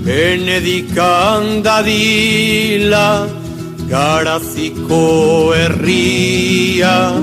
Benedikan dadila Garaziko herria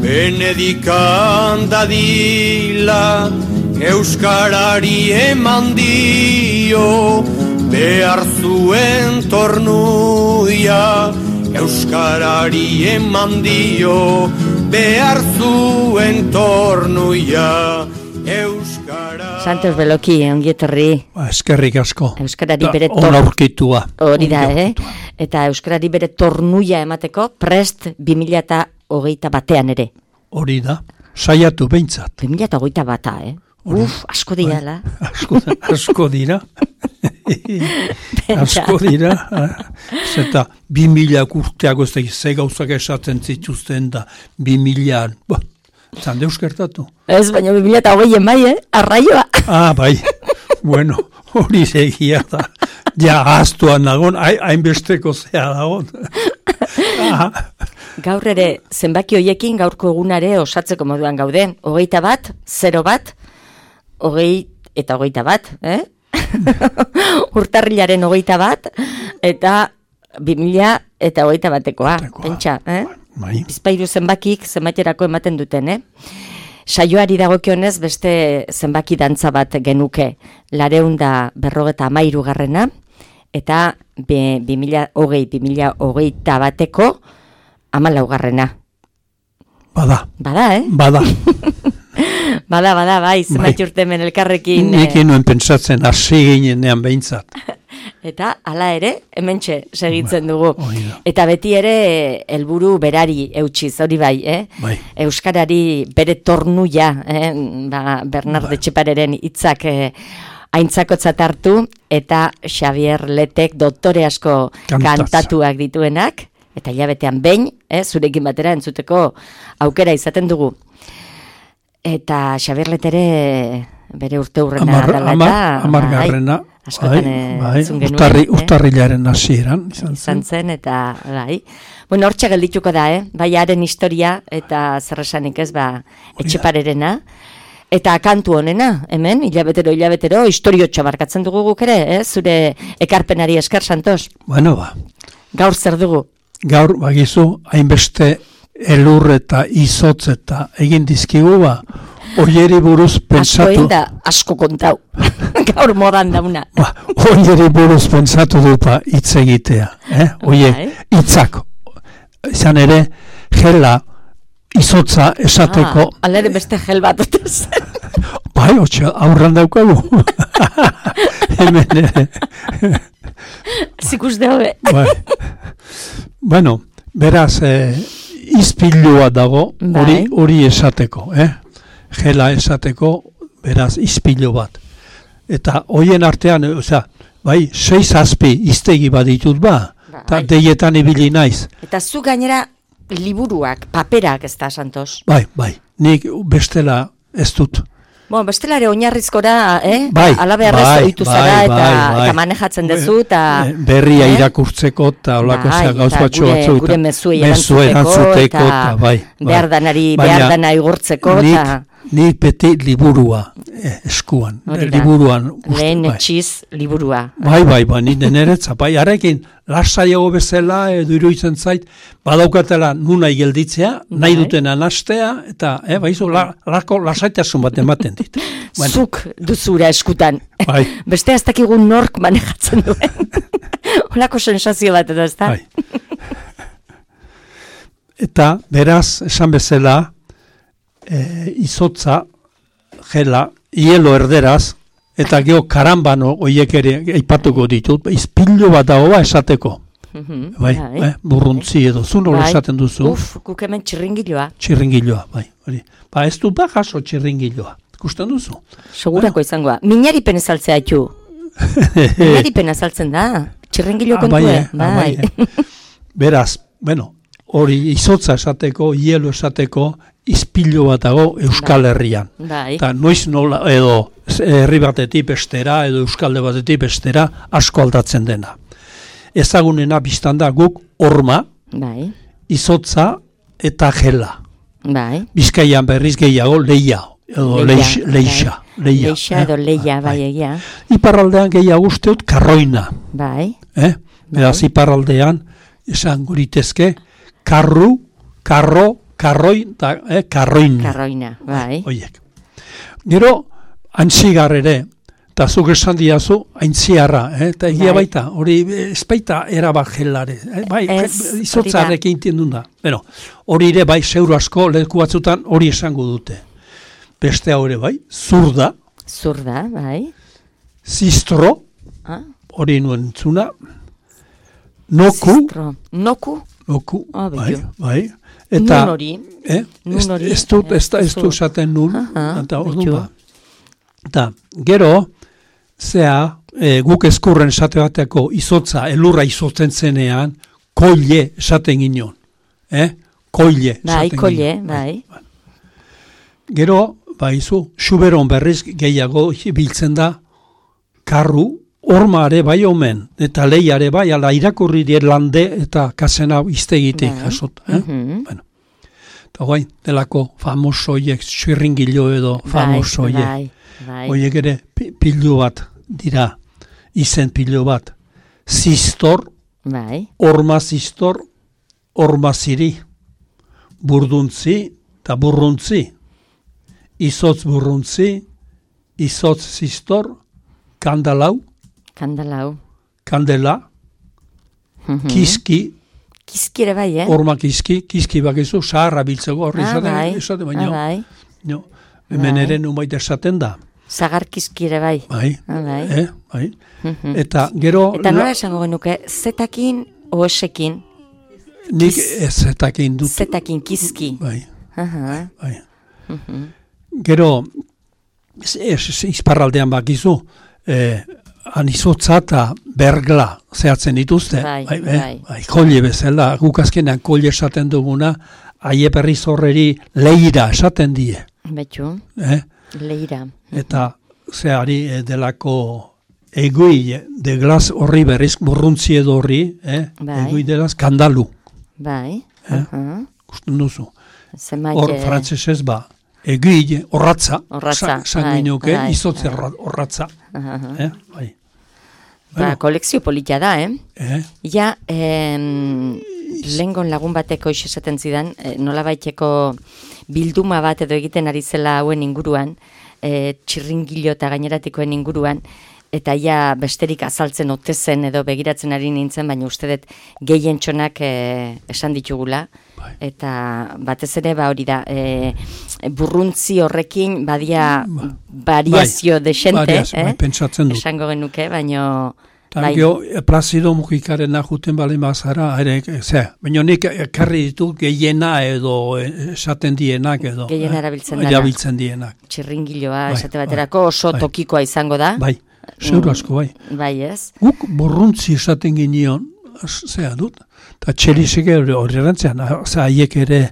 Benedikan dadila Euskarari eman dio Behar zuen tornuia Euskarari eman dio Behar zuen tornuia Euskara... Santos Beloki, ongietorri. Eskerrik asko. Euskarari bere onaurkitua. Hori da, Eta Euskarari bere tornuia emateko prest 2021 ere. Hori da, saiatu behintzat. 2021, asko dira, Asko dira. Asko dira. Zeta 2000 urteago ez da, ze gauzak esaten zituzten da, 2000... Zan deuskertatu? Ez, baina 2020 bai, arraioa. Bai, bueno, hori segia da. Ja, aztuan nagon, hainbesteko zea dagon. Gaur ere, zenbaki hoiekin gaurko egunare osatzeko moduan gaude. 21, 01, 20 eta 21, Urtarrilaren 21, eta 2021koa, pentsa, Bizpairu zenbakik zenbaiterako ematen duten, Saioari dagokionez beste zenbaki dantza bat genuke, 253 garrena, eta 2020-2021ko 14 garrena. Bada, Bada, bai, zenbait urte hemen elkarrekin. Nik nuen pentsatzen, hasi ginenean behintzat. Eta, hala ere, hementxe segitzen dugu. Eta beti ere, helburu berari eutxiz, hori bai, Euskarari bere tornuia, Bernard Etxepareren hitzak aintzakotzat hartu, eta Xavier Letek doktore asko kantatuak dituenak, eta hilabetean behin, zurekin batera entzuteko aukera izaten dugu. Eta Xavier Letere bere urte hurrena dela eta... Amargarrena. Urtarrilaren hasieran izan zen, eta bai. Bueno, hortxe geldituko da, bai haren historia, eta zerresanik ez, Etxeparerena. Eta kantu honena, hemen, hilabetero, historiotxa barkatzen dugu guk ere, zure ekarpenari esker, Santos. Bueno, Gaur zer dugu? Gaur, bagizu, hainbeste elur eta izotz eta egin dizkigu, Oieri buruz pentsatu... Asko kontau. Gaur modan dauna. Oieri buruz pentsatu dupa hitz egitea. Oie, hitzak. Izan ere, gela, izotza esateko... Alere beste gel bat dutez. Bai, aurran daukagu. Hemen ere. Zikus dehobe. Bueno, beraz, izpilua dago, hori esateko, Gela esateko, beraz, izpilo bat. Eta hoien artean, bai, 6-7 iztegi bat ditut eta deietan ibili naiz. Eta zu gainera liburuak, paperak ez da, Santos? Bai, nik bestela ez dut. Bestelare oinarrizkora, alabearrez oitu zara eta manejatzen dezu, eta... Berria irakurtzeko, eta olako gauz batxo batzu, gure mezuei erantzuteko, eta behar dana igurtzeko, eta... Nik beti liburua eskuan. Liburuan. Lehen etxiz liburua. Bai, ni deneretza. Harekin, lasaiago bezala, edo iruditzen zait, badaukatela nunai gelditzea, nahi dutena nastea, eta, lasaitasun bat ematen dit. Zuk duzura eskutan. Beste ez dakigun nork manejatzen duen. Olako sensazio bat edo, ez da? Eta, beraz, esan bezala, izotza, gela, hielo erderaz, eta geho karambano oiek ere aipatuko ditut, izpilu bat dago esateko. Burruntzi edo, zu nola esaten duzu? Guk hemen txirringiloa. Txirringiloa, bai. Ez du jaso txirringiloa, ikusten duzu? Segurako izangoa. Minaripen ezaltzea haitu. Minaripen ezaltzen da, txirringilo kontue. Bai. Beraz, hori izotza esateko, hielo esateko, izpilu bat dago Euskal Herrian. Eta noiz nola edo herri batetik bestera edo Euskalde batetik bestera asko aldatzen dena. Ezagunena biztan da guk horma, izotza eta gela. Bizkaian berriz gehiago leia edo leixa. leia. Leixa edo leia, bai, egia. Iparraldean gehiago usteut karroina. Bai. Beraz, iparraldean, esan guritezke, karru, karro, karroin, karroina. Karroina, bai. Oiek. Gero, antzigar ere, eta zuk esan diazu, aintziarra, eta egia baita, hori espaita erabat gelare. Bai, izotzarekin tindun da. Bueno, hori ere, bai, zeuro asko, leku batzutan hori esango dute. Beste hau ere, bai, zurda. Zurda, bai. Zistro, hori nuen entzuna. Noku. Zistro. Noku? Noku, bai. Eta, nun hori. Ez dut esaten nun, eta orduan ba. Eta, gero, guk eskurren esate bateko izotza, elurra izotzen zenean, koile esaten ginen. Koile esaten ginen. Koile, bai. Gero, baizu, xuberon berriz gehiago biltzen da, karru, hormare bai omen, eta leiare bai, ala irakurri dira lande eta kasena iztegitik jasot. Bueno. Eta guain, delako famosoiek, xirringilo edo famosoiek. Oiek ere pilu bat dira, izen pilu bat. Zistor, horma zistor, horma ziri, burduntzi eta burruntzi. Izotz burruntzi, izotz zistor, kandalau, kandela, kiski, kiski ere bai, horma kiski bakizu, saharra biltzeko horri esate baino. Hemen ere numait esaten da. Zagar kiski ere bai. Bai. Eta gero... Eta nola esango genuke, zetakin o esekin? Nik zetakin dut. Zetakin kiski. Bai. Gero, izparraldean bakizu, anizotza eta bergla zehatzen dituzte. Bai. Kolle bezala, guk azkenean kolle esaten duguna, aie berriz horreri leira esaten die. Betxu, leira. Eta zehari delako egui de glas horri berriz burruntzi edo horri, egui delaz kandalu. Bai. Gusten duzu. Hor frantzesez ba, egui horratza, sanguinuke, izotze horratza. Bai. Ba, kolekzio politia da, Ja, lehengon lagun bateko esaten zidan, nola baiteko bilduma bat edo egiten ari zela hauen inguruan, txirringilo eta gaineratikoen inguruan, eta ja besterik azaltzen ote zen edo begiratzen ari nintzen, baina uste dut gehien txonak esan ditugula, eta batez ere hori da, burruntzi horrekin badia variazio desente, esango genuke, baina... Tangio, Plazido Mujikaren ajuten balen bazara, baina nik karri ditu gehiena edo esaten dienak edo. Gehiena erabiltzen dienak. Txirringiloa esate baterako oso tokikoa izango da. Bai, zeuro asko, bai. Bai, ez. Guk burruntzi esaten ginion, zea dut, eta txerizek hori erantzean, haiek ere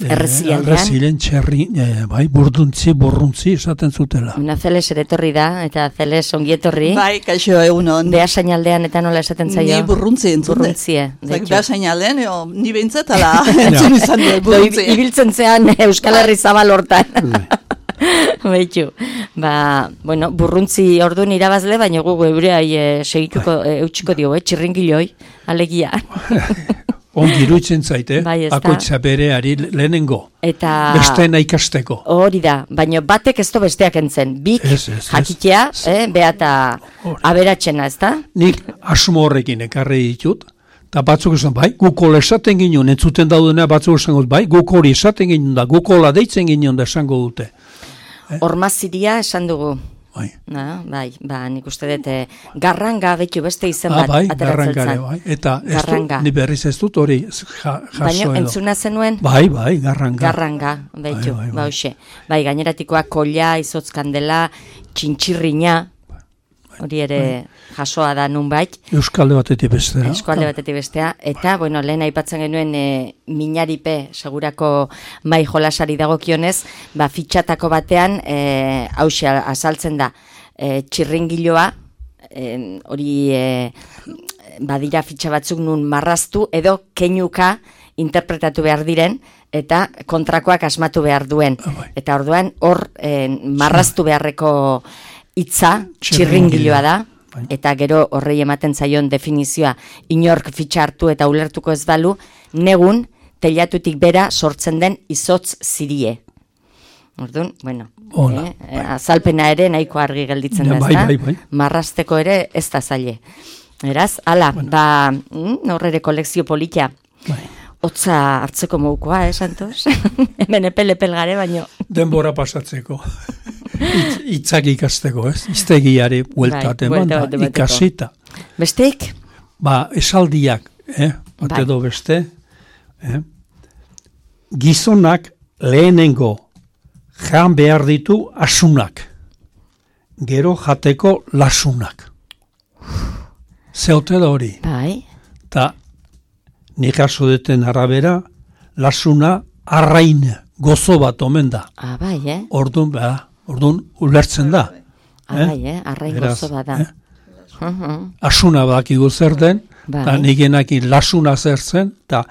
errezilen txerri, bai, burruntzi esaten zutela. Una Zeles ere etorri da, eta Zeles ongietorri. Bai, kaixo egunon. Beasainaldean eta nola esaten zaio? Ni burruntzi entzute. Burruntzie. Beasainaldean, ni behintzat, ala, entzun izan dut burruntzi. Ibiltzen zean Euskal Herri zabal hortan. Baitu, bueno, burruntzi orduan irabazle, baina gu eureai segituko eutxiko dio, txirringiloi, alegia. Ongi iruditzen zaite, bakoitza bereari lehenengo, besteena ikasteko. Hori da, baina batek ez do besteak entzen, bik jakitea, beata aberatzena, ez da? Nik asmo horrekin ekarri ditut, eta batzuk esan, bai, gukol esaten ginen, entzuten daudena batzuk esan dut, bai, gukol esaten ginen da, gukola deitzen ginen da esango dute. Ormaziria esan dugu. Bai, nik uste dut garranga betu beste izen bat ateratzen zen. Bai, eta ni berriz ez dut hori jaso edo. Baina entzuna zenuen? Bai, garranga. Garranga, betu, bauxe. Bai, gaineratikoa kolla, izotz kandela, txintxirrina, hori ere jasoa da nunbait. Euskalde batetik bestea. Euskalde batetik bestea. Eta, bueno, lehen aipatzen genuen minaripe segurako mai jolasari dagokionez, fitxatako batean, hauxe azaltzen da, txirringiloa, hori badira fitxa batzuk nun marraztu, edo keinuka interpretatu behar diren, eta kontrakoak asmatu behar duen. Eta orduan, hor marraztu beharreko hitza txirringiloa da, eta gero horrei ematen zaion definizioa inork fitxa hartu eta ulertuko ez balu, negun teilatutik bera sortzen den izotz zirie. Orduan, bueno, azalpena ere nahiko argi gelditzen da, ezta? Marrasteko ere ez da zaile. Eraz, ala, hor ere kolekzio politia. Otza hartzeko moukoa, Santos? Hemen epel gare, baino. Denbora pasatzeko. Itzak ikasteko, ez? Iztegiari bueltaten banda, ikasita. Besteik? Esaldiak, bat edo beste. Gizonak lehenengo jan behar ditu asunak. Gero jateko lasunak. Zeote da hori. Ta nik aso deten arabera, lasuna arrain gozo bat omen da. Orduan ulertzen da. Arrain gozo bat da. Asuna bakigu zer den, eta nigenakin lasuna zer zen, eta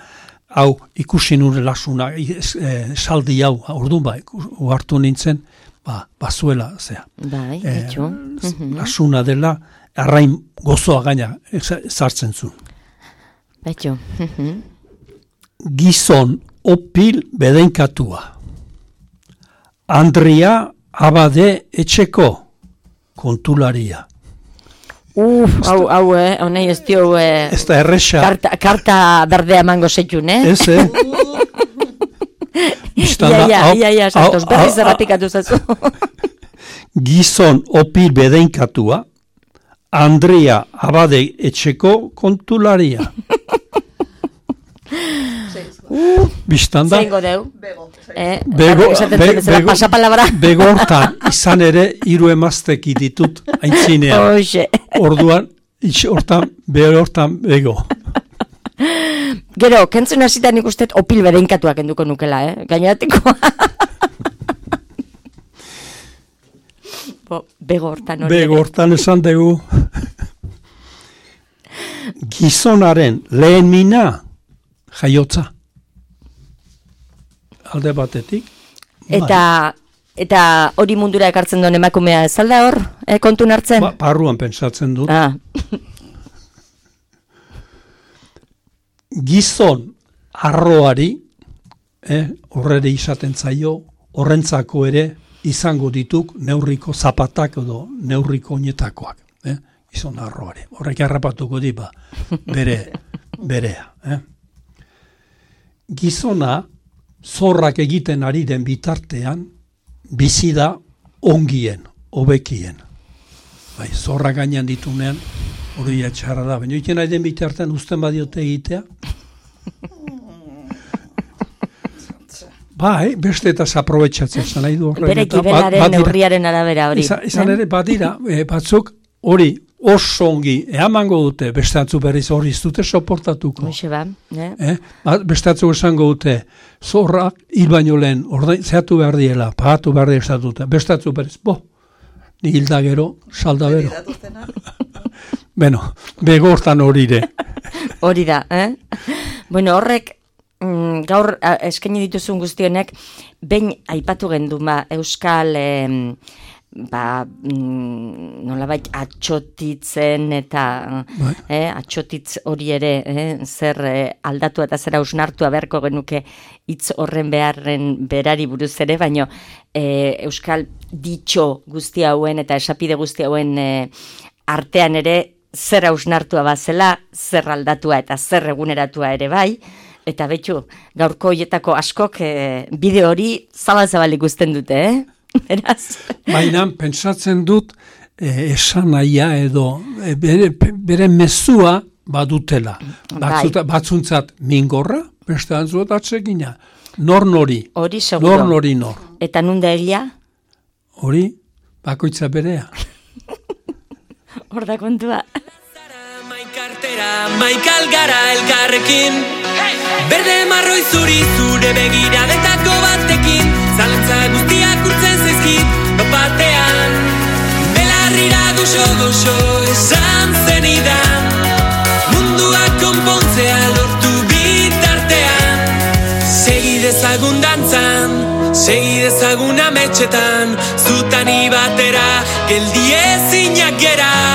hau ikusi nure lasuna, saldi hau, orduan uhartu nintzen, bazuela, zea. Lasuna dela, arrain gozoa gaina zartzen zu. Betxo. Gizon opil bedenkatua. Andria abade etxeko kontularia. Hau, honei ez dio... Ez da erresa. Karta berdea mango zeitun, Ez, Ia, Santos, berriz errapikatu zazu. Gizon opil bedenkatua, Andrea abade etxeko kontularia. Bistanda? Zeingo deu? Bego hortan, izan ere, 3 emazteki ditut, aintzinean. Orduan, hortan bego. Gero, kentzun hasitan ikustet opil bedeinkatuak enduko nukela, Gainatiko. Bego hortan esan dugu. Gizonaren lehen mina jaiotza. Alde batetik. Eta hori mundura ekartzen duen emakumea ez alda hor, kontun hartzen? Barruan pentsatzen dut. Gizon arroari, horrere izaten zaio, horrentzako ere izango dituk neurriko zapatak edo neurriko oinetakoak. Gizon arroari. Horrek harrapatuko diba berea. Gizona zorrak egiten ari den bitartean bizi da ongien, hobekien. Zorrak gainean ditunean hori etxarra da. Baina iken ari den bitartean uzten badiote egitea. Beste eta aprobetxatzen zan nahi du horren. Bere gibelaren neurriaren arabera hori. Izan ere, badira, batzuk hori oso ongi, eamango dute, beste atzu berriz hori ez dute soportatuko. Beste atzu esango dute, zorrak hil baino lehen, zehatu behar diela, pagatu behar diela dute. Beste atzu berriz, ni hilda gero, salda bero. Bego hortan horire. Hori da, Bueno, horrek, gaur eskaini dituzun guztionek, behin aipatu gendu, Euskal... nolabait atxotitzen eta atxotitz hori ere zer aldatu eta zer hausnartua beharko genuke hitz horren beharren berari buruz ere, baino euskal ditxo guzti hauen eta esapide guzti hauen artean ere zer hausnartua bazela, zer aldatua eta zer eguneratua ere bai, eta betxu gaurko hoietako askok bideo hori zabal ikusten dute, Baina, pentsatzen dut esan nahia edo bere mezua badutela. Batzuntzat mingorra, beste antzuot atsegina. Nor nori. Hori seguro. Nor nori nor. Eta nunda egia? Hori, bakoitza berea. Hor da kontua. Maikal gara elkarrekin, berde marroi zure begiradetako batekin, zalantza guztiak urtzen zaizkit, batean, belarrira goxo esan zenidan, mundua konpontzea lortu bitartean, Segi dezagun ametxetan, zutani batera, geldi ezinak gera.